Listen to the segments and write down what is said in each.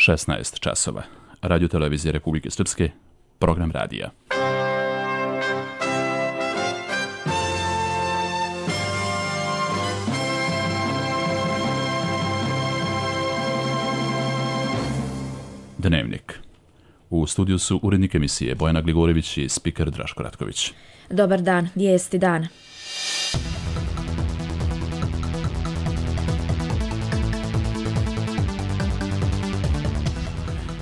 16 časova. Radio televizije Republike Srpske, program radija. Dnevnik. U studiju su urednik emisije Bojana Gligorević i spiker Draško Ratković. Dobar dan, vijesti dana.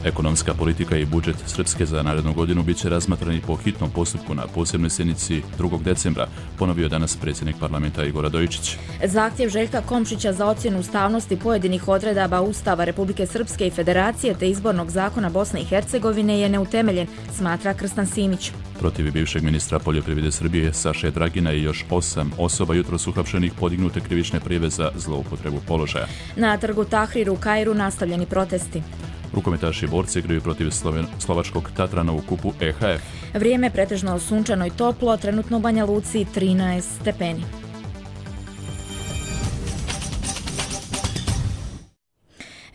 Ekonomska politika i budžet Srpske za narednu godinu bit će razmatrani po hitnom postupku na posebnoj sjednici 2. decembra, ponovio danas predsjednik parlamenta Igor Radojičić. Zahtjev Željka Komšića za ocjenu ustavnosti pojedinih odredaba Ustava Republike Srpske i Federacije te izbornog zakona Bosne i Hercegovine je neutemeljen, smatra Krstan Simić. Protiv bivšeg ministra poljoprivrede Srbije Saše Dragina i još 8 osoba jutros uhapšenih podignute krivične prijave za zloupotrebu položaja. Na trgu Tahrir u Kairu nastavljeni protesti. Rukometaši borci igraju protiv slovačkog Tatrana u kupu EHF. Vrijeme pretežno sunčano i toplo, trenutno u Banja Luci 13 stepeni.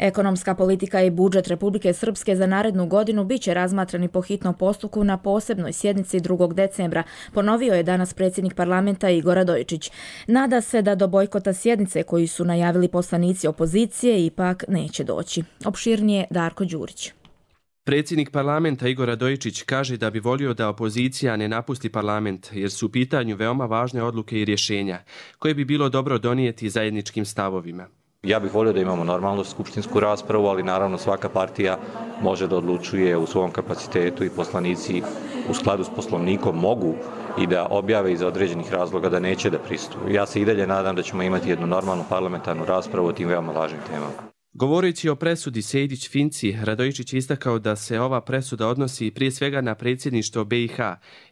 Ekonomska politika i budžet Republike Srpske za narednu godinu bit će razmatrani po hitnom postupku na posebnoj sjednici 2. decembra, ponovio je danas predsjednik parlamenta Igor Radojičić. Nada se da do bojkota sjednice koju su najavili poslanici opozicije ipak neće doći. Opširnije Darko Đurić. Predsjednik parlamenta Igor Radojičić kaže da bi volio da opozicija ne napusti parlament jer su u pitanju veoma važne odluke i rješenja koje bi bilo dobro donijeti zajedničkim stavovima. Ja bih volio da imamo normalnu skupštinsku raspravu, ali naravno svaka partija može da odlučuje u svom kapacitetu i poslanici u skladu s poslovnikom mogu i da objave iz određenih razloga da neće da pristupe. Ja se i dalje nadam da ćemo imati jednu normalnu parlamentarnu raspravu o tim veoma važnim temama. Govoreći o presudi Sejdić-Finci, Radojičić je istakao da se ova presuda odnosi prije svega na predsjedništvo BiH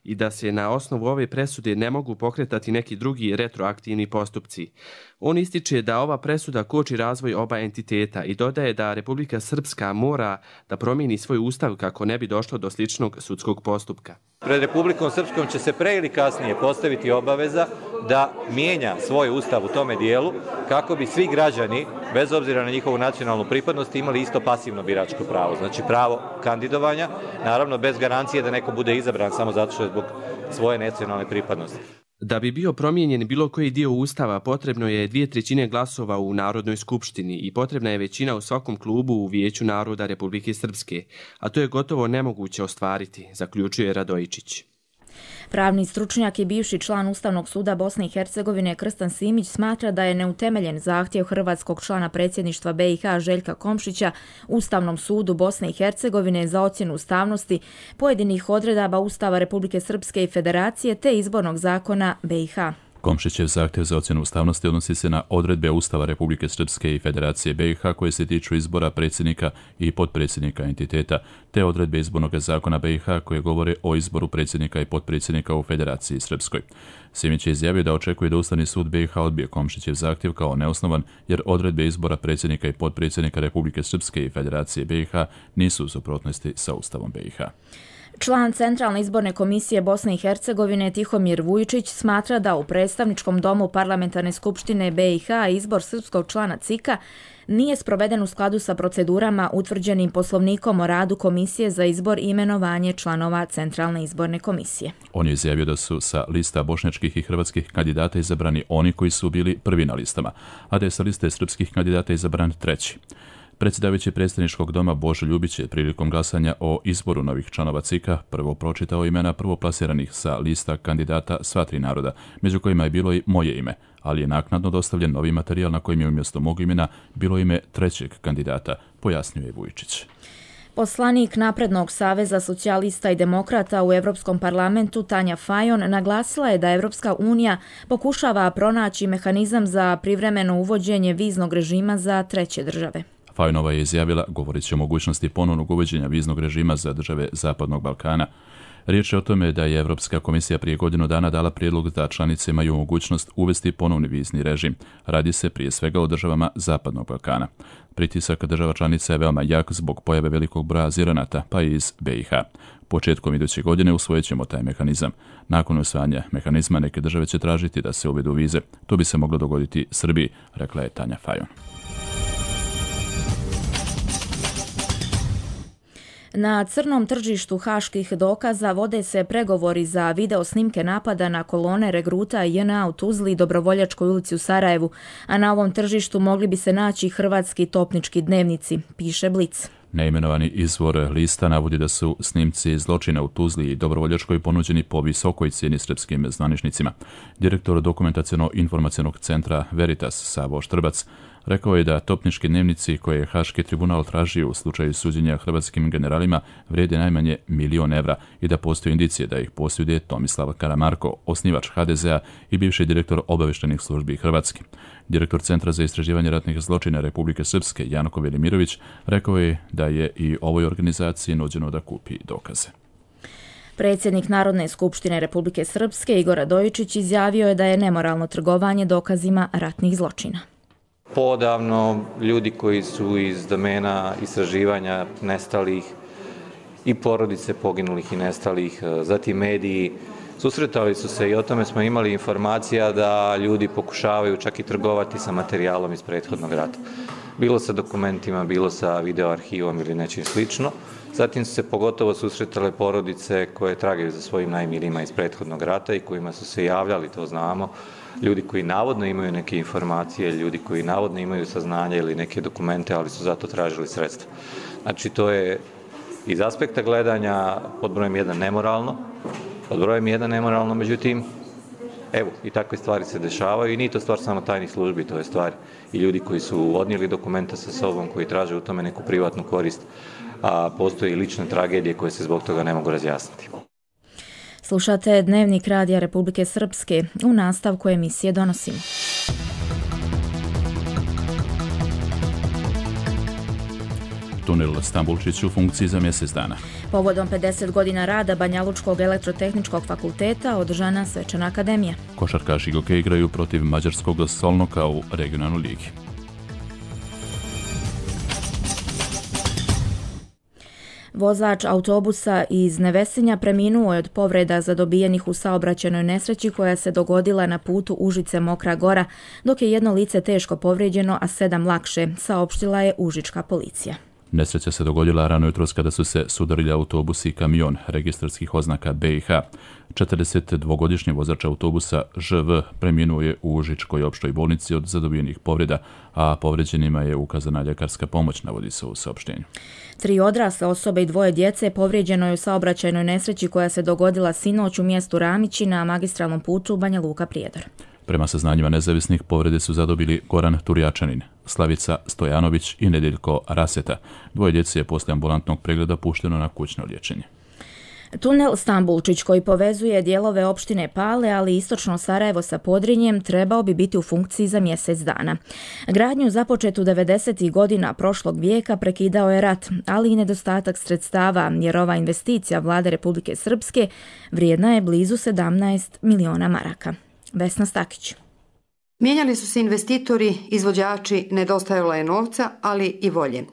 i da se na osnovu ove presude ne mogu pokretati neki drugi retroaktivni postupci. On ističe da ova presuda koči razvoj oba entiteta i dodaje da Republika Srpska mora da promijeni svoj ustav kako ne bi došlo do sličnog sudskog postupka. Pred Republikom Srpskom će se pre ili kasnije postaviti obaveza da mijenja svoj ustav u tome dijelu kako bi svi građani, bez obzira na njihovu nacionalnu pripadnost, imali isto pasivno biračko pravo. Znači pravo kandidovanja, naravno bez garancije da neko bude izabran samo zato što je zbog svoje nacionalne pripadnosti. Da bi bio promijenjen bilo koji dio ustava, potrebno je 2/3 glasova u Narodnoj skupštini i potrebna je većina u svakom klubu u Vijeću naroda Republike Srpske, a to je gotovo nemoguće ostvariti, zaključuje Radojičić. Pravni stručnjak i bivši član Ustavnog suda Bosne i Hercegovine Krstan Simić smatra da je neutemeljen zahtjev hrvatskog člana predsjedništva BiH Željka Komšića Ustavnom sudu Bosne i Hercegovine za ocjenu ustavnosti pojedinih odredaba Ustava Republike Srpske i Federacije te izbornog zakona BiH. Komšićev zahtjev za ocjenu ustavnosti odnosi se na odredbe Ustava Republike Srpske i Federacije BiH koje se tiču izbora predsjednika i potpredsjednika entiteta, te odredbe izbornog zakona BiH koje govore o izboru predsjednika i potpredsjednika u Federaciji Srpskoj. Simić je izjavio da očekuje da Ustavni sud BiH odbije Komšićev zahtjev kao neosnovan jer odredbe izbora predsjednika i potpredsjednika Republike Srpske i Federacije BiH nisu u suprotnosti sa Ustavom BiH. Član Centralne izborne komisije Bosne i Hercegovine Tihomir Vujičić smatra da u predstavničkom domu Parlamentarne skupštine BiH izbor srpskog člana CIK-a nije sproveden u skladu sa procedurama utvrđenim Poslovnikom o radu Komisije za izbor i imenovanje članova Centralne izborne komisije. On je izjavio da su sa lista bošnjačkih i hrvatskih kandidata izabrani oni koji su bili prvi na listama, a da je sa liste srpskih kandidata izabran treći. Predsjedavajući predstavničkog doma Božo Ljubić je prilikom glasanja o izboru novih članova CIK-a prvo pročitao imena prvoplasiranih sa lista kandidata sva tri naroda, među kojima je bilo i moje ime, ali je naknadno dostavljen novi materijal na kojem je umjesto mog imena bilo ime trećeg kandidata, pojasnio je Vujičić. Poslanik Naprednog saveza socijalista i demokrata u Europskom parlamentu Tanja Fajon naglasila je da Evropska unija pokušava pronaći mehanizam za privremeno uvođenje viznog režima za treće države. Fajonova je izjavila, govoreći o mogućnosti ponovnog uvođenja viznog režima za države Zapadnog Balkana. Riječ je o tome da je Europska komisija prije godinu dana dala prijedlog da članice imaju mogućnost uvesti ponovni vizni režim. Radi se prije svega o državama Zapadnog Balkana. Pritisak država članica je veoma jak zbog pojave velikog broja azilanata, pa i iz BiH. Početkom iduće godine usvojit ćemo taj mehanizam. Nakon usvajanja mehanizma neke države će tražiti da se uvedu vize. To bi se moglo dogoditi Srbiji, rekla je Tanja Fajon. Na crnom tržištu haških dokaza vode se pregovori za video snimke napada na kolone regruta JNA u Tuzli i Dobrovoljačkoj ulici u Sarajevu, a na ovom tržištu mogli bi se naći hrvatski topnički dnevnici, piše Blic. Neimenovani izvor lista navodi da su snimci zločina u Tuzli i Dobrovoljačkoj ponuđeni po visokoj cijeni srpskim zvaničnicima. Direktor dokumentaciono-informacionog centra Veritas Savo Štrbac rekao je da topnički dnevnici koje je Haški tribunal tražio u slučaju suđenja hrvatskim generalima vrijede najmanje 1.000.000 evra i da postoje indicije da ih posjeduje Tomislav Karamarko, osnivač HDZ-a i bivši direktor obavještajnih službi Hrvatske. Direktor Centra za istraživanje ratnih zločina Republike Srpske Janko Velimirović rekao je da je i ovoj organizaciji nuđeno da kupi dokaze. Predsjednik Narodne skupštine Republike Srpske Igor Radojičić izjavio je da je nemoralno trgovanje dokazima ratnih zločina. Poodavno ljudi koji su iz domena istraživanja nestalih i porodice poginulih i nestalih, zatim mediji, susretali su se i o tome smo imali informacija da ljudi pokušavaju čak i trgovati sa materijalom iz prethodnog rata. Bilo sa dokumentima, bilo sa videoarhivom ili nečim slično. Zatim su se pogotovo susretale porodice koje tragaju za svojim najmilijima iz prethodnog rata i kojima su se javljali, to znamo, ljudi koji navodno imaju neke informacije, ljudi koji navodno imaju saznanja ili neke dokumente, ali su zato tražili sredstva. Znači, to je iz aspekta gledanja pod brojem 1 nemoralno, pod brojem 1 nemoralno, međutim, evo, i takve stvari se dešavaju i nije to stvar samo tajnih službi, to je stvar i ljudi koji su odnijeli dokumenta sa sobom, koji traže u tome neku privatnu korist, a postoje i lične tragedije koje se zbog toga ne mogu razjasniti. Slušate Dnevnik Radija Republike Srpske. U nastavku emisije donosimo. Tunel Stambulčić u funkciji za mjesec dana. Povodom 50 godina rada Banjalučkog elektrotehničkog fakulteta održana svečana akademija. Košarkaši Goke igraju protiv mađarskog Solnoka u regionalnoj ligi. Vozač autobusa iz Nevesinja preminuo je od povreda zadobijenih u saobraćajnoj nesreći koja se dogodila na putu Užice-Mokra Gora, dok je jedno lice teško povrijeđeno, a 7 lakše, saopštila je užička policija. Nesreća se dogodila rano jutros kada su se sudarili autobus i kamion registarskih oznaka BiH. 42-godišnji vozač autobusa ŽV preminuo je u Užičkoj opštoj bolnici od zadobijenih povreda, a povrijeđenima je ukazana ljekarska pomoć, navodi se u saopštenju. 3 odrasle osobe i 2 djece povrijeđeno je u saobraćajnoj nesreći koja se dogodila sinoć u mjestu Ramići na magistralnom putu Banja Luka-Prijedor. Prema saznanjima nezavisnih, povrede su zadobili Goran Turjačanin, Slavica Stojanović i Nedeljko Raseta. 2 djece je poslije ambulantnog pregleda pušteno na kućno liječenje. Tunel Stambulčić, koji povezuje dijelove opštine Pale, ali i istočno Sarajevo sa Podrinjem, trebao bi biti u funkciji za mjesec dana. Gradnju započetu 90. godina prošlog vijeka prekidao je rat, ali i nedostatak sredstava, jer ova investicija Vlade Republike Srpske vrijedna je blizu 17 miliona maraka. Vesna Stakić. Mijenjali su se investitori, izvođači, nedostajalo je novca, ali i volje.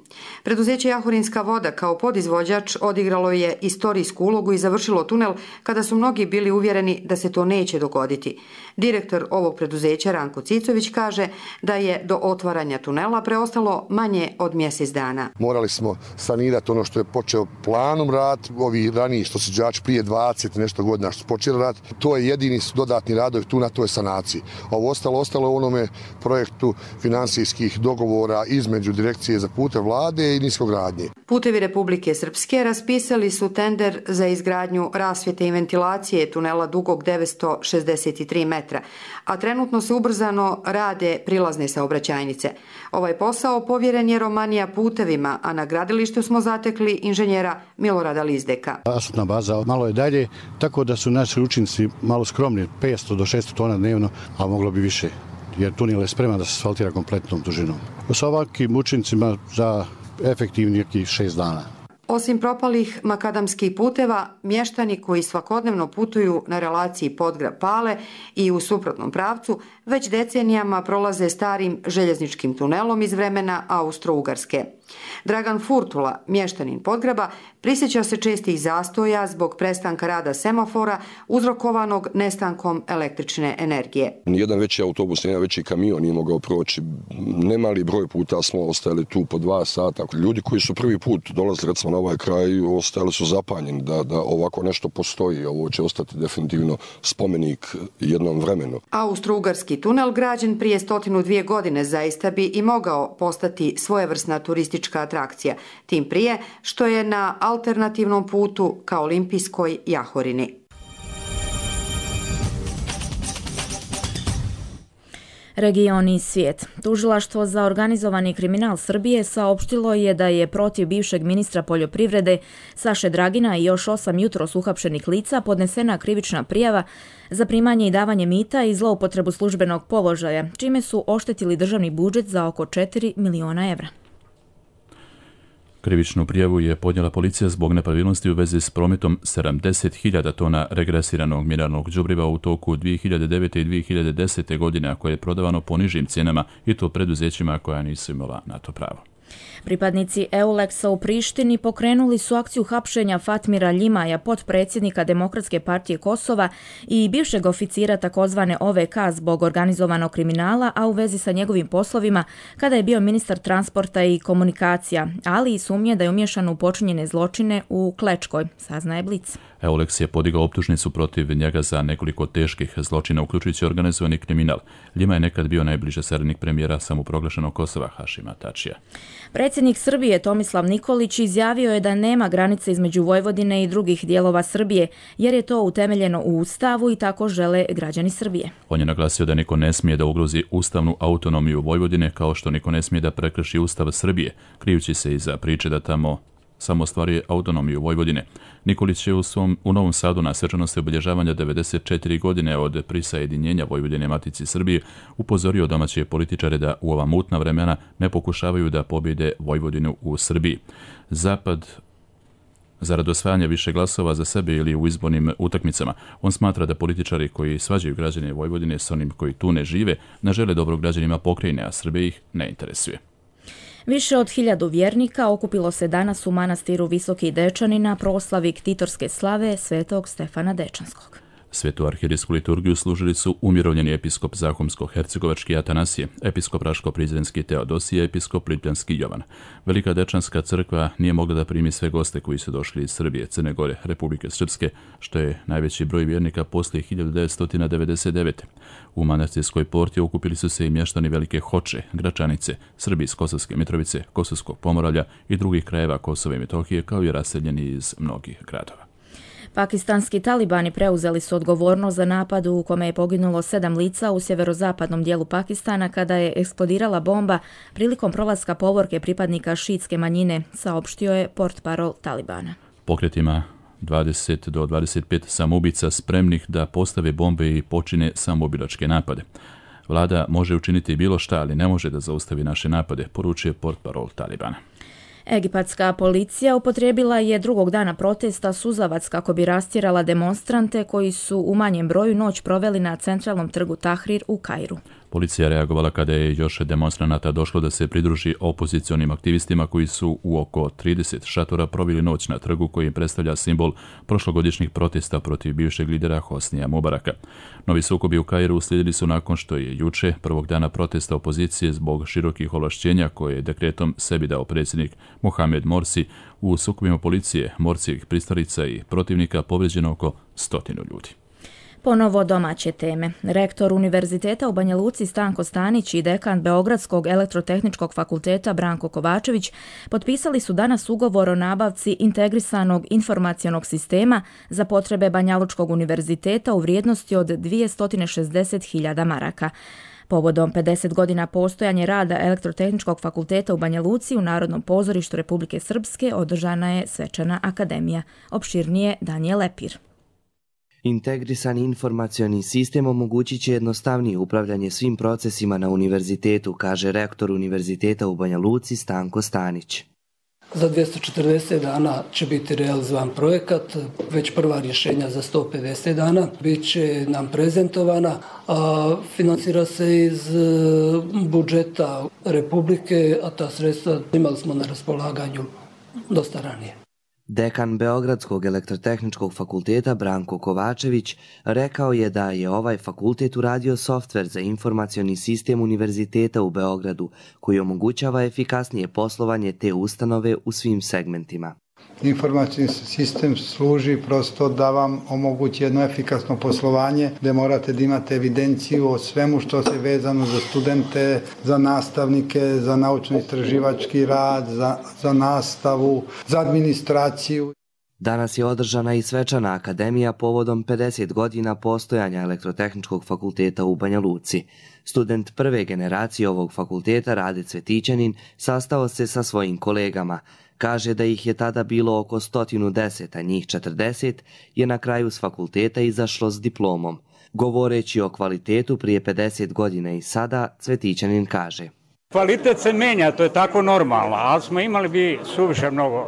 Preduzeće Jahorinska voda kao podizvođač odigralo je istorijsku ulogu i završilo tunel kada su mnogi bili uvjereni da se to neće dogoditi. Direktor ovog preduzeća Ranko Cicović kaže da je do otvaranja tunela preostalo manje od mjesec dana. Morali smo sanirati ono što je počeo planom rad, ovi raniji što su izvođači prije 20 nešto godina što su počeli rad. To je jedini dodatni radovi tu na toj sanaciji. Ovo ostalo u onome projektu financijskih dogovora između Direkcije za pute Vlade i niskogradnje. Putevi Republike Srpske raspisali su tender za izgradnju rasvjete i ventilacije tunela dugog 963 metra, a trenutno se ubrzano rade prilazne saobraćajnice. Ovaj posao povjeren je Romanija putevima, a na gradilištu smo zatekli inženjera Milorada Lizdeka. Asfaltna baza malo je dalje, tako da su naši učinci malo skromni, 500 do 600 tona dnevno, a moglo bi više, jer tunel je spreman da se asfaltira kompletnom dužinom. Sa ovakvim učincima za efektivni 6 dana. Osim propalih makadamskih puteva, mještani koji svakodnevno putuju na relaciji Podgrad-Pale i u suprotnom pravcu već decenijama prolaze starim željezničkim tunelom iz vremena Austro-Ugarske. Dragan Furtula, mještanin Podgraba, prisjeća se čestih zastoja zbog prestanka rada semafora uzrokovanog nestankom električne energije. Nijedan veći autobus, nijedan veći kamion nije mogao proći. Nemali broj puta smo ostali tu po 2 sata. Ljudi koji su prvi put dolazili recimo na ovaj kraj ostali su zapanjeni da ovako nešto postoji. Ovo će ostati definitivno spomenik jednom vremenu. Austro-Ugarski tunel građen prije 102 godine zaista bi i mogao postati svojevrsna turistička atrakcija. Tim prije što je na alternativnom putu ka olimpijskoj Jahorini. Region i svijet. Tužilaštvo za organizovani kriminal Srbije saopštilo je da je protiv bivšeg ministra poljoprivrede Saše Dragina i još 8 jutros uhapšenih lica podnesena krivična prijava za primanje i davanje mita i zloupotrebu službenog položaja, čime su oštetili državni budžet za oko 4 miliona evra. Krivičnu prijavu je podnijela policija zbog nepravilnosti u vezi s prometom 70.000 tona regresiranog mineralnog đubriva u toku 2009. i 2010. godine, a koje je prodavano po nižim cijenama i to preduzećima koja nisu imala na to pravo. Pripadnici EULEX-a u Prištini pokrenuli su akciju hapšenja Fatmira Ljimaja, potpredsjednika Demokratske partije Kosova i bivšeg oficira takozvane OVK zbog organizovanog kriminala, a u vezi sa njegovim poslovima kada je bio ministar transporta i komunikacija, ali i sumnje da je umješan u počinjene zločine u Klečkoj, saznaje Blic. EULEX je podigao optužnicu protiv njega za nekoliko teških zločina, uključujući organizovani kriminal. Ljima je nekad bio najbliže saradnik premijera samoproglašenog Kosova Hašima Tačija. Predsjednik Srbije Tomislav Nikolić izjavio je da nema granice između Vojvodine i drugih dijelova Srbije, jer je to utemeljeno u Ustavu i tako žele građani Srbije. On je naglasio da niko ne smije da ugrozi ustavnu autonomiju Vojvodine, kao što niko ne smije da prekrši Ustav Srbije, krijući se iza priče da tamo samo ostvaruje autonomiju Vojvodine. Nikolić je u Novom Sadu na svečanosti obilježavanja 94 godine od prisajedinjenja Vojvodine Matici Srbije upozorio domaće političare da u ova mutna vremena ne pokušavaju da pobjede Vojvodinu u Srbiji. Zapad zarad osvajanja više glasova za sebe ili u izbornim utakmicama. On smatra da političari koji svađaju građane Vojvodine s onim koji tu ne žive ne žele dobro građanima pokrajine, a Srbije ih ne interesuje. Više od 1000 vjernika okupilo se danas u manastiru Visoki Dečani na proslavi ktitorske slave svetog Stefana Dečanskog. Svetu arhirijsku liturgiju služili su umirovljeni episkop Zahumsko-hercegovački Atanasije, episkop Raško-Prizrenski Teodosije, episkop Lipljanski Jovan. Velika Dečanska crkva nije mogla da primi sve goste koji su došli iz Srbije, Crne Gore, Republike Srpske, što je najveći broj vjernika poslije 1999. U manastirskoj porti okupili su se i mještani Velike Hoče, Gračanice, Srbi iz Kosovske Mitrovice, Kosovskog Pomoravlja i drugih krajeva Kosova i Metohije, kao i raseljeni iz mnogih gradova. Pakistanski talibani preuzeli su odgovornost za napad u kome je poginulo 7 lica u sjeverozapadnom dijelu Pakistana kada je eksplodirala bomba prilikom prolaska povorke pripadnika šiitske manjine, saopštio je portparol Talibana. Pokret ima 20 do 25 samoubica spremnih da postave bombe i počine samoubilačke napade. Vlada može učiniti bilo šta, ali ne može da zaustavi naše napade, poručuje portparol Talibana. Egipatska policija upotrijebila je drugog dana protesta suzavac kako bi rastjerala demonstrante koji su u manjem broju noć proveli na centralnom trgu Tahrir u Kairu. Policija reagovala kada je još demonstranata došlo da se pridruži opozicionim aktivistima koji su u oko 30 šatora proveli noć na trgu koji predstavlja simbol prošlogodišnjih protesta protiv bivšeg lidera Hosnija Mubaraka. Novi sukobi u Kairu uslijedili su nakon što je juče, prvog dana protesta opozicije zbog širokih ovlašćenja koje je dekretom sebi dao predsjednik Mohamed Morsi, u sukobima policije, Morsijevih pristalica i protivnika povrijeđeno oko 100 ljudi. Ponovo domaće teme. Rektor Univerziteta u Banja Luci Stanko Stanić i dekan Beogradskog elektrotehničkog fakulteta Branko Kovačević potpisali su danas ugovor o nabavci integrisanog informacionog sistema za potrebe Banja Lučkog univerziteta u vrijednosti od 260.000 maraka. Povodom 50 godina postojanja rada Elektrotehničkog fakulteta u Banja Luci u Narodnom pozorištu Republike Srpske održana je svečana akademija. Opširnije Danijel Lepir. Integrisani informacioni sistem omogućit će jednostavnije upravljanje svim procesima na univerzitetu, kaže rektor Univerziteta u Banja Luci Stanko Stanić. Za 240 dana će biti realizovan projekat, već prva rješenja za 150 dana bit će nam prezentovana, a financira se iz budžeta Republike, a ta sredstva imali smo na raspolaganju dosta ranije. Dekan Beogradskog elektrotehničkog fakulteta Branko Kovačević rekao je da je ovaj fakultet uradio softver za informacioni sistem Univerziteta u Beogradu koji omogućava efikasnije poslovanje te ustanove u svim segmentima. Informacijski sistem služi prosto da vam omogući jedno efikasno poslovanje gdje morate da imate evidenciju o svemu što se vezano za studente, za nastavnike, za naučno-istraživački rad, za nastavu, za administraciju. Danas je održana i svečana akademija povodom 50 godina postojanja Elektrotehničkog fakulteta u Banja Luci. Student prve generacije ovog fakulteta Rade Cvetićanin sastao se sa svojim kolegama. Kaže da ih je tada bilo oko 110, a njih 40 je na kraju s fakulteta izašlo s diplomom. Govoreći o kvalitetu prije 50 godina i sada, Cvetićanin kaže: Kvalitet se menja, to je tako normalno, ali smo imali bi suviše mnogo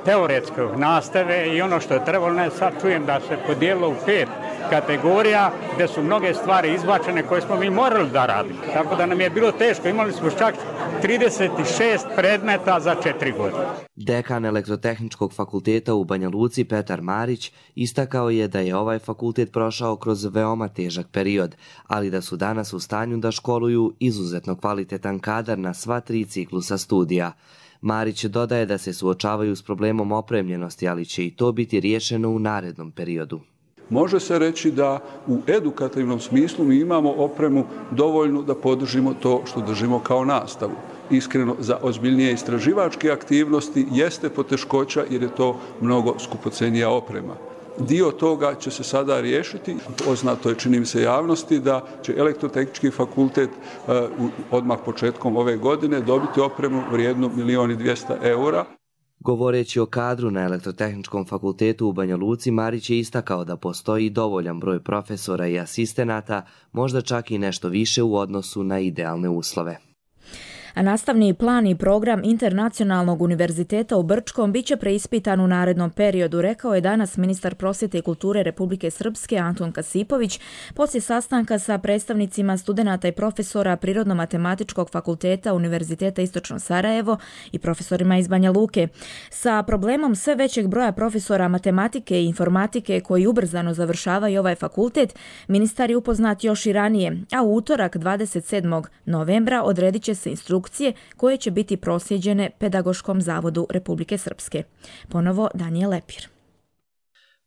teoretske nastave i ono što je trebalo, ne sad čujem da se podijelilo u 5 kategorija gdje su mnoge stvari izbačene koje smo mi morali da radimo. Tako da nam je bilo teško, imali smo čak 36 predmeta za 4 godine. Dekan Elektrotehničkog fakulteta u Banja Luci Petar Marić istakao je da je ovaj fakultet prošao kroz veoma težak period, ali da su danas u stanju da školuju izuzetno kvalitetan kadar na sva 3 ciklusa studija. Marić dodaje da se suočavaju s problemom opremljenosti, ali će i to biti riješeno u narednom periodu. Može se reći da u edukativnom smislu mi imamo opremu dovoljnu da podržimo to što držimo kao nastavu. Iskreno, za ozbiljnije istraživačke aktivnosti jeste poteškoća jer je to mnogo skupocenija oprema. Dio toga će se sada riješiti. Poznato je, čini mi se, javnosti da će Elektrotehnički fakultet odmah početkom ove godine dobiti opremu vrijednu 1.200.000 eura. Govoreći o kadru na Elektrotehničkom fakultetu u Banja Luci, Marić je istakao da postoji dovoljan broj profesora i asistenata, možda čak i nešto više u odnosu na idealne uslove. A nastavni plan i program Internacionalnog univerziteta u Brčkom biće preispitan u narednom periodu, rekao je danas ministar prosvjete i kulture Republike Srpske Anton Kasipović poslije sastanka sa predstavnicima studenata i profesora Prirodno-matematičkog fakulteta Univerziteta Istočno Sarajevo i profesorima iz Banja Luke. Sa problemom sve većeg broja profesora matematike i informatike koji ubrzano završavaju ovaj fakultet, ministar je upoznat još i ranije, a u utorak 27. novembra odredit će se instrukcije koje će biti proslijeđene Pedagoškom zavodu Republike Srpske. Ponovo Danijel Lepir.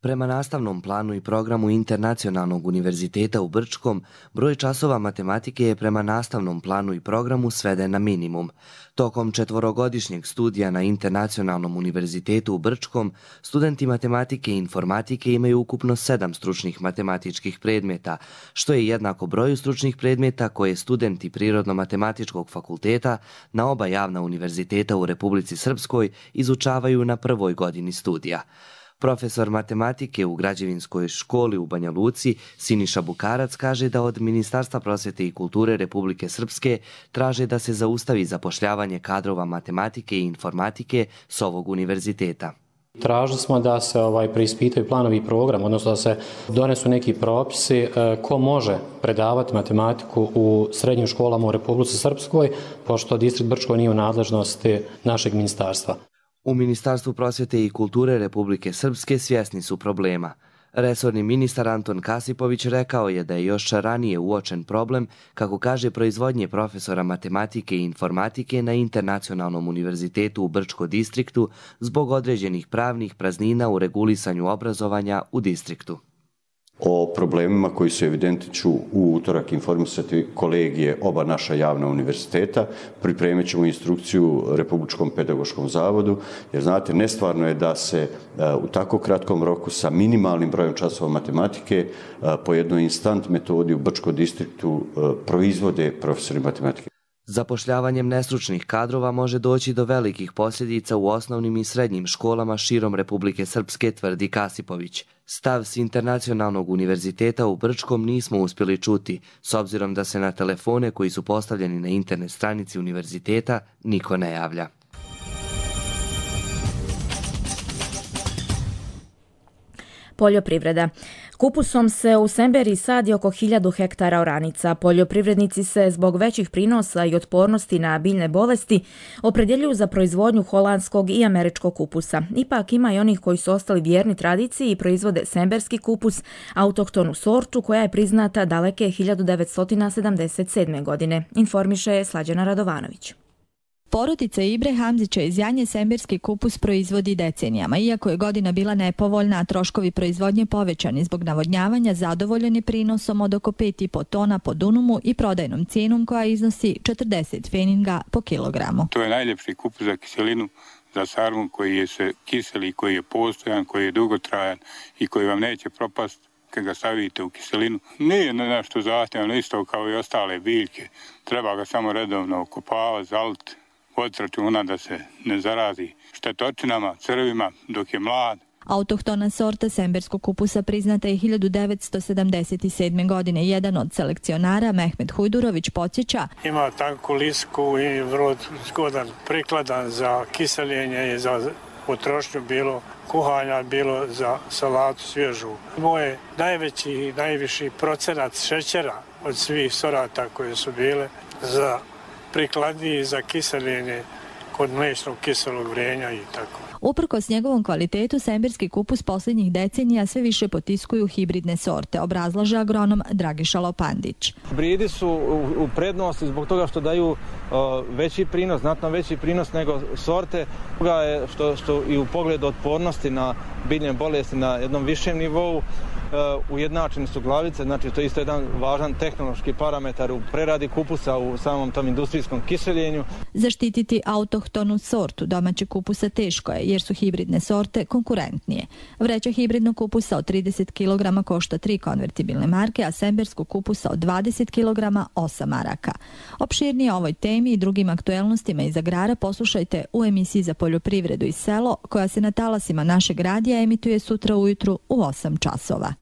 Prema nastavnom planu i programu Internacionalnog univerziteta u Brčkom, broj časova matematike je prema nastavnom planu i programu sveden na minimum. Tokom 4-godišnjeg studija na Internacionalnom univerzitetu u Brčkom, studenti matematike i informatike imaju ukupno 7 stručnih matematičkih predmeta, što je jednako broju stručnih predmeta koje studenti Prirodno-matematičkog fakulteta na oba javna univerziteta u Republici Srpskoj izučavaju na prvoj godini studija. Profesor matematike u Građevinskoj školi u Banja Luci, Siniša Bukarac, kaže da od Ministarstva prosvjete i kulture Republike Srpske traže da se zaustavi zapošljavanje kadrova matematike i informatike s ovog univerziteta. Tražili smo da se preispitaju planovi i program, odnosno da se donesu neki propisi ko može predavati matematiku u srednjim školama u Republici Srpskoj, pošto distrikt Brčko nije u nadležnosti našeg ministarstva. U Ministarstvu prosvjete i kulture Republike Srpske svjesni su problema. Resorni ministar Anton Kasipović rekao je da je još ranije uočen problem, kako kaže, proizvodnje profesora matematike i informatike na Internacionalnom univerzitetu u Brčko distriktu zbog određenih pravnih praznina u regulisanju obrazovanja u distriktu. O problemima koji su evidentni ću u utorak informisati kolegije oba naša javna univerziteta. Pripremit ćemo instrukciju Republičkom pedagoškom zavodu, jer znate, nestvarno je da se u tako kratkom roku sa minimalnim brojem časova matematike po jednoj instant metodi u Brčkom distriktu proizvode profesori matematike. Zapošljavanjem nestručnih kadrova može doći do velikih posljedica u osnovnim i srednjim školama širom Republike Srpske, tvrdi Kasipović. Stav s Internacionalnog univerziteta u Brčkom nismo uspjeli čuti, s obzirom da se na telefone koji su postavljeni na internet stranici univerziteta niko ne javlja. Poljoprivreda. Kupusom se u Semberiji sadi oko 1000 hektara oranica. Poljoprivrednici se zbog većih prinosa i otpornosti na biljne bolesti opredjeljuju za proizvodnju holandskog i američkog kupusa. Ipak ima i onih koji su ostali vjerni tradiciji i proizvode semberski kupus, autohtonu sortu koja je priznata daleke 1977. godine, informiše Slađana Radovanović. Porodica Ibre Hamzića iz Janje semberski kupus proizvodi decenijama. Iako je godina bila nepovoljna, a troškovi proizvodnje povećani zbog navodnjavanja, zadovoljen je prinosom od oko 5,5 tona po dunumu i prodajnom cijenom koja iznosi 40 feninga po kilogramu. To je najljepši kupus za kiselinu, za sarmu koji je se kiseli, koji je postojan, koji je dugotrajan i koji vam neće propasti kad ga stavite u kiselinu. Nije nešto zahtjevno, isto kao i ostale biljke. Treba ga samo redovno okopavati, zaliti, voditi računa da se ne zarazi štetočinama, crvima dok je mlad. Autohtona sorta semberskog kupusa priznata je 1977. godine. Jedan od selekcionara, Mehmet Hujdurović, podsjeća: ima tanku lisku i vrlo zgodan, prikladan za kiseljenje i za potrošnju, bilo kuhanja, bilo za salatu svježu. Moje najveći i najviši procenat šećera od svih sorata koje su bile za prikladniji za kiseljenje kod mliječnog kiselog vrenja i tako. Uprkos njegovom kvalitetu, semberski kupus posljednjih decenija sve više potiskuju hibridne sorte, obrazlaže agronom Dragiša Lopandić. Hibridi su u prednosti zbog toga što daju veći prinos, znatno veći prinos nego sorte. Toga je što i u pogledu otpornosti na biljne bolesti na jednom višem nivou ujednačene su glavice, znači to je isto jedan važan tehnološki parametar u preradi kupusa u samom tom industrijskom kiseljenju. Zaštititi autohtonu sortu domaćeg kupusa teško je jer su hibridne sorte konkurentnije. Vreća hibridnog kupusa od 30 kg košta 3 konvertibilne marke, a semberskog kupusa od 20 kg 8 maraka. Opširnije o ovoj temi i drugim aktuelnostima iz agrara poslušajte u emisiji za poljoprivredu i selo koja se na talasima našeg radija emituje sutra ujutru u 8 časova.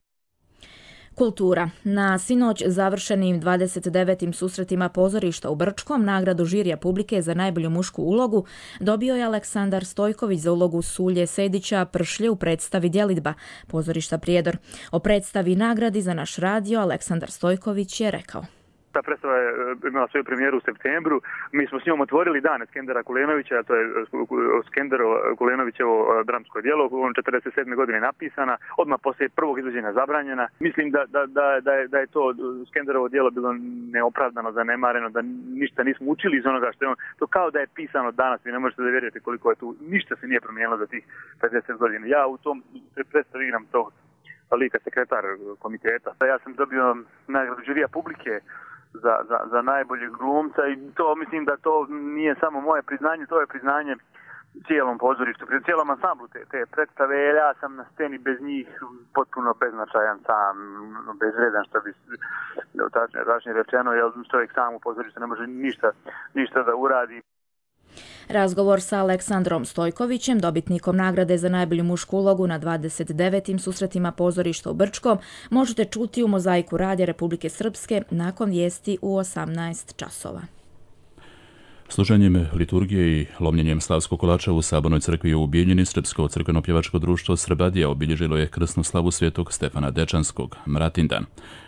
Kultura. Na sinoć završenim 29. susretima pozorišta u Brčkom nagradu žirija publike za najbolju mušku ulogu dobio je Aleksandar Stojković za ulogu Sulje Sedića Pršlje u predstavi Djelidba pozorišta Prijedor. O predstavi nagradi za naš radio Aleksandar Stojković je rekao: Ta predstava je imala svoju premijeru u septembru. Mi smo s njom otvorili dane Skendera Kulenovića, a to je Skendero Kulenovićevo dramsko djelo, on 47. godine napisana, odmah poslije prvog izvođenja zabranjena. Mislim da je to Skenderovo djelo bilo neopravdano, zanemareno, da ništa nismo učili iz onoga što je on. To kao da je pisano danas, vi ne možete da vjerujete koliko je tu, ništa se nije promijenilo za tih 50 godina. Ja u tom predstavi igram tog lika sekretar komiteta. Ja sam dobio nagradu žirija publike za najboljeg glumca i to mislim da to nije samo moje priznanje, to je priznanje cijelom pozorištu, cijelom ansamblu te predstave. Ja sam na sceni bez njih potpuno beznačajan sam, bezvredan, što bi tačnije rečeno, jer čovjek sam u pozorištu ne može ništa da uradi. Razgovor sa Aleksandrom Stojkovićem, dobitnikom nagrade za najbolju mušku ulogu na 29. susretima pozorišta u Brčkom, možete čuti u Mozaiku radija Republike Srpske nakon vijesti u 18 časova. Služenjem liturgije i lomljenjem slavskog kolača u Sabornoj crkvi u Bijeljini Srpsko crkveno-pjevačko društvo Srbadija obilježilo je krsnu slavu svetog Stefana Dečanskog, Mratindan.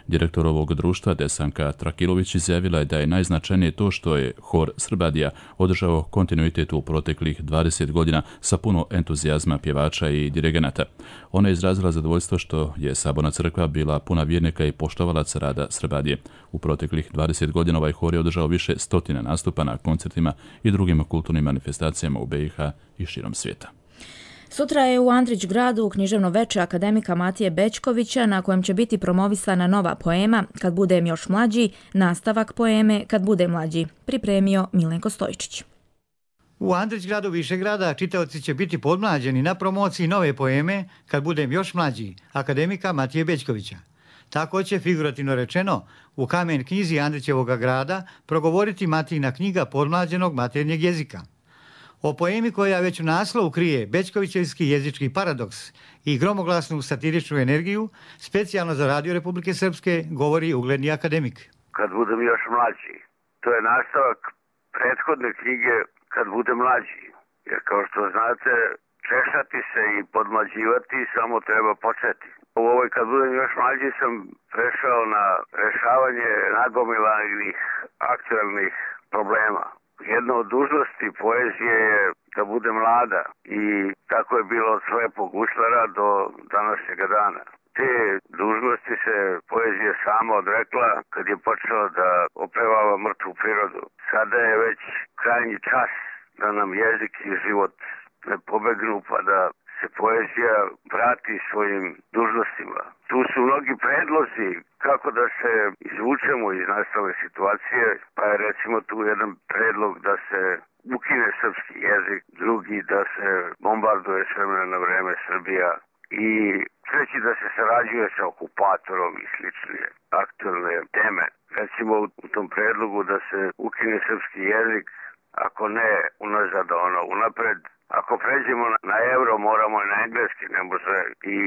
Direktor ovog društva Desanka Trakilović izjavila je da je najznačajnije to što je hor Srbadija održao kontinuitet u proteklih 20 godina sa puno entuzijazma pjevača i dirigenata. Ona je izrazila zadovoljstvo što je Saborna crkva bila puna vjernika i poštovalaca rada Srbadije. U proteklih 20 godina ovaj hor je održao više stotina nastupa na koncertima i drugim kulturnim manifestacijama u BiH i širom svijeta. Sutra je u Andrić gradu u književno veče akademika Matije Bećkovića na kojem će biti promovisana nova poema Kad budem još mlađi, nastavak poeme Kad budem mlađi, pripremio Milenko Stojčić. U Andrić gradu Višegrada čitaoci će biti podmlađeni na promociji nove poeme Kad budem još mlađi, akademika Matije Bećkovića. Tako će, figurativno rečeno, u kamen knjizi Andrićevog grada progovoriti Matijina knjiga podmlađenog maternjeg jezika. O poemi koja već u naslovu krije Bećkovićevski jezički paradoks i gromoglasnu satiričnu energiju, specijalno za Radio Republike Srpske govori ugledni akademik. Kad budem još mlađi, to je nastavak prethodne knjige Kad budem mlađi. Jer kao što znate, češati se i podmlađivati, samo treba početi. U ovoj kad budem još mlađi sam prešao na rešavanje nagomilanih aktualnih problema. Jedna od dužnosti poezije je da bude mlada i tako je bilo od slepog guslara do današnjega dana. Te dužnosti se poezija sama odrekla kad je počela da opevava mrtvu prirodu. Sada je već krajnji čas da nam jezik i život ne pobegnu pa da se poezija vrati svojim dužnostima. Tu su mnogi predlozi kako da se izvučemo iz nastale situacije, pa je recimo tu jedan predlog da se ukine srpski jezik, drugi da se bombarduje s vremena na vreme Srbija i treći da se sarađuje sa okupatorom i slične aktualne teme. Recimo u tom predlogu da se ukine srpski jezik, ako ne unazad, unapred. Ako pređemo na euro, moramo i na engleski, ne može i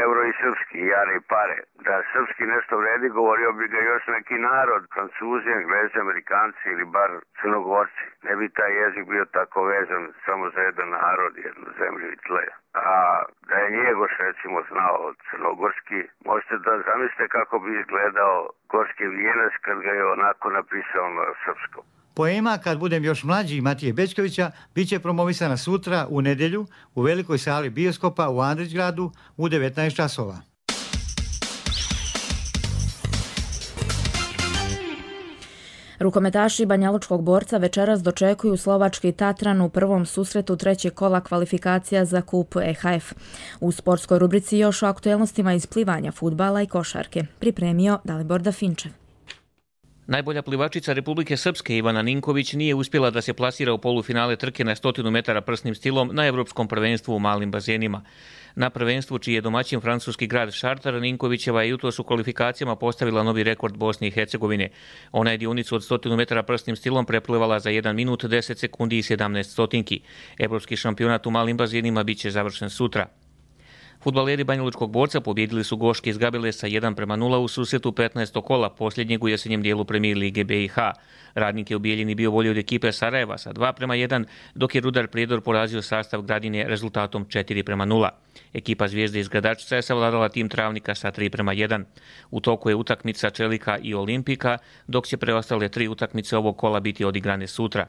euro i srpski, jare i pare. Da srpski nešto vredi, govorio bi ga još neki narod, Francuzi, Englezi, Amerikanci ili bar Crnogorci. Ne bi taj jezik bio tako vezan samo za jedan narod, jednu zemlju i tle. A da je Njegoš recimo znao crnogorski, možete da zamislite kako bi izgledao gorski vijenac kad ga je onako napisao na srpskom. Poema Kad budem još mlađi Matije Bećkovića bit će promovisana sutra u nedjelju u velikoj sali bioskopa u Andrićgradu u 19 časova. Rukometaši Banjalučkog Borca večeras dočekuju slovački Tatran u prvom susretu trećeg kola kvalifikacija za kup EHF. U sportskoj rubrici još o aktuelnostima iz plivanja, fudbala i košarke. Pripremio Dalibor Dafinčev. Najbolja plivačica Republike Srpske Ivana Ninković nije uspjela da se plasira u polufinale trke na 100 metara prsnim stilom na Evropskom prvenstvu u malim bazenima. Na prvenstvu, čiji je domaćin francuski grad Šartar, Ninkovićeva je jutros u kvalifikacijama postavila novi rekord Bosne i Hercegovine. Ona je dionicu od 100 metara prsnim stilom preplivala za 1 minut 10 sekundi i 17 stotinki. Evropski šampionat u malim bazenima bit će završen sutra. Fudbaleri Banjalučkog Borca pobjedili su Goške iz Gabele sa 1:0 u susretu 15. kola posljednjeg u jesenjem dijelu Premijer Lige BiH. Radnik je u Bijeljini bio bolji od ekipe Sarajeva sa 2:1, dok je Rudar Prijedor porazio sastav Gradine rezultatom 4:0. Ekipa Zvijezde iz Gradačca je savladala tim Travnika sa 3:1. U toku je utakmica Čelika i Olimpika, dok će preostale 3 utakmice ovog kola biti odigrane sutra.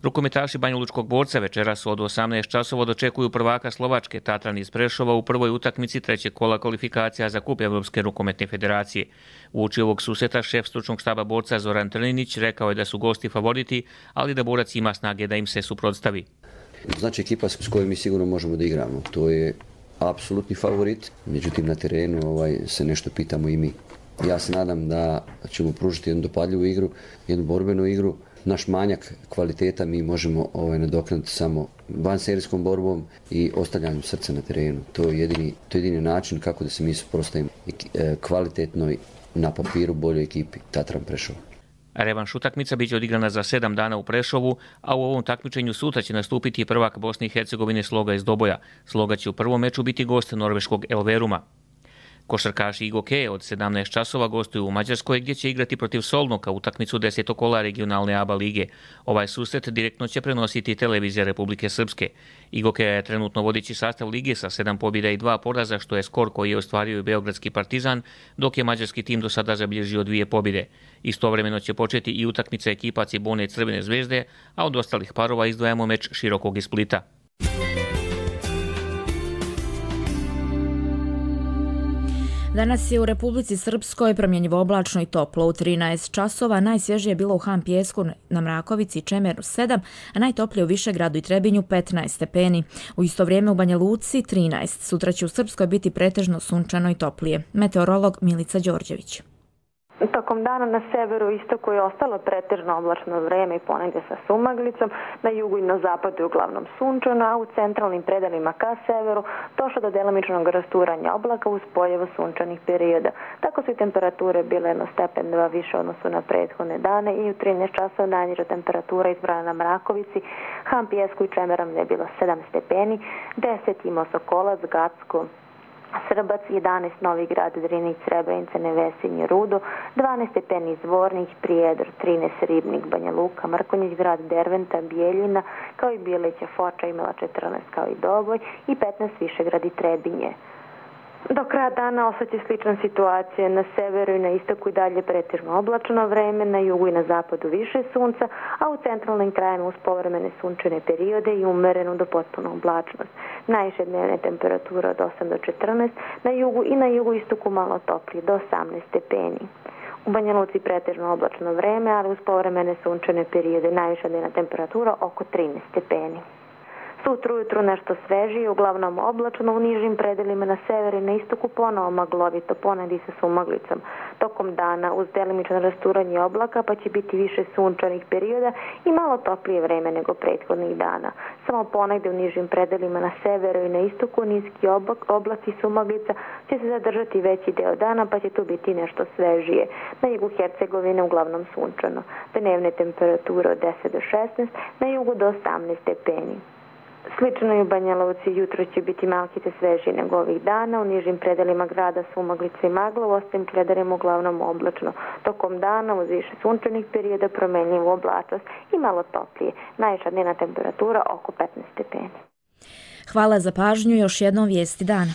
Rukometaši Banjalučkog Borca večeras od 18 časova dočekuju prvaka Slovačke Tatran iz Prešova u prvoj utakmici trećeg kola kvalifikacija za kup Evropske rukometne federacije. Uoči ovog susreta šef stručnog štaba Borca Zoran Trninić rekao je da su gosti favoriti, ali da Borac ima snage da im se suprotstavi. Znači ekipa s kojom mi sigurno možemo da igramo. To je apsolutni favorit, međutim na terenu se nešto pitamo i mi. Ja se nadam da ćemo pružiti jednu dopadljivu igru, jednu borbenu igru. Naš manjak kvaliteta mi možemo nadoknaditi samo vanserijskom borbom i ostavljanjem srca na terenu. To je jedini način kako da se mi suprotstavimo kvalitetnoj na papiru boljoj ekipi Tatran Prešova. Revanš utakmica biće odigrana za 7 dana u Prešovu, a u ovom takmičenju sutra će nastupiti prvak Bosne i Hercegovine Sloga iz Doboja. Sloga će u prvom meču biti gost norveškog Elveruma. Košarkaši Igoke od 17 časova gostuju u Mađarskoj gdje će igrati protiv Solnoka utakmicu 10. kola regionalne ABA lige. Ovaj susret direktno će prenositi televizija Republike Srpske. Igoke je trenutno vodeći sastav lige sa 7 pobjeda i 2 poraza, što je skor koji je ostvario i beogradski Partizan, dok je mađarski tim do sada zabilježio 2 pobjede. Istovremeno će početi i utakmica ekipa Cibone Crvene zvezde, a od ostalih parova izdvajamo meč Širokog iz Splita. Danas je u Republici Srpskoj promjenjivo oblačno i toplo. U 13 časova najsvježije je bilo u Han Pijesku, na Mrakovici i Čemeru 7, a najtoplije u Višegradu i Trebinju 15 stepeni. U isto vrijeme u Banja Luci 13. Sutra će u Srpskoj biti pretežno sunčano i toplije. Meteorolog Milica Đorđević. Tokom dana na severu i istoku je ostalo pretežno oblačno vrijeme i ponegdje sa sumaglicom, na jugu i na zapadu je uglavnom sunčano, a u centralnim predelima ka severu došlo do delimičnog rasturanja oblaka uz pojavu sunčanih perioda. Tako su i temperature bile 1 stepen 2 više odnosu na prethodne dane i u 13 časova najniža temperatura izbrana na Mrakovici, Han Pijesku i Čemerom je bilo 7 stepeni, 10 imao Sokolac, Gacko Srbac, 11 Novi Grad, Drinić, Srebrenica, Nevesinje, Rudo, 12 stepeni Zvornik, Prijedor, 13 Ribnik, Banja Luka, Mrkonjić Grad, Derventa, Bijeljina, kao i Bijelića, Foča imala 14 kao i Doboj i 15 Višegrad i Trebinje. Do kraja dana ostaće slična situacija. Na severu i na istoku i dalje pretežno oblačno vreme, na jugu i na zapadu više sunca, a u centralnim krajima uz povremene sunčane periode i umerenu do potpuno oblačnost. Najviše dnevne temperature od 8 do 14, na jugu i na jugoistoku malo toplije do 18 stepeni. U Banja Luci pretežno oblačno vreme, ali uz povremene sunčane periode najviša dnevna temperatura oko 13 stepeni. Sutra ujutru nešto svežije, uglavnom oblačno, u nižim predelima na severu i na istoku ponovo maglovito, ponegdje sa sumaglicom. Tokom dana uz delimično rasturanje oblaka pa će biti više sunčanih perioda i malo toplije vreme nego prethodnih dana. Samo ponegdje u nižim predelima na severu i na istoku niski oblak i sumaglica će se zadržati veći deo dana pa će tu biti nešto svežije. Na jugu Hercegovine uglavnom sunčano. Dnevne temperature od 10 do 16, na jugu do 18 stepeni. Slično i u Banja Luci, jutro će biti malkice svežije nego ovih dana, u nižim predelima grada sumaglica i magla, u ostalim predelima uglavnom oblačno. Tokom dana uz više sunčanih perioda promenljivu oblačnost i malo toplije. Najviša dnevna temperatura oko 15 stepeni. Hvala za pažnju, još jednom vijesti dana.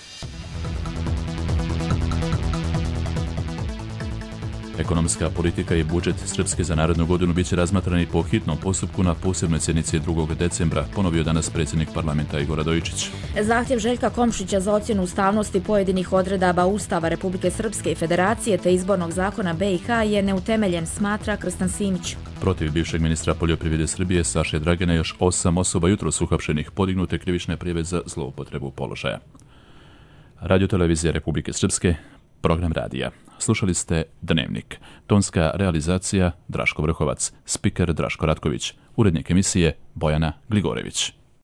Ekonomska politika i budžet Srpske za narednu godinu biće razmatrani po hitnom postupku na posebnoj sjednici 2. decembra, ponovio danas predsjednik parlamenta Igor Radojičić. Zahtjev Željka Komšića za ocjenu ustavnosti pojedinih odredaba Ustava Republike Srpske i Federacije te izbornog zakona BiH je neutemeljen, smatra Krstan Simić. Protiv bivšeg ministra poljoprivrede Srbije Saše Dragina još 8 osoba jutros uhapšenih, podignute krivične prijave za zloupotrebu položaja. Radiotelevizija Republike Srpske, program radija. Slušali ste Dnevnik. Tonska realizacija Draško Vrhovac, spiker Draško Ratković, urednik emisije Bojana Gligorević.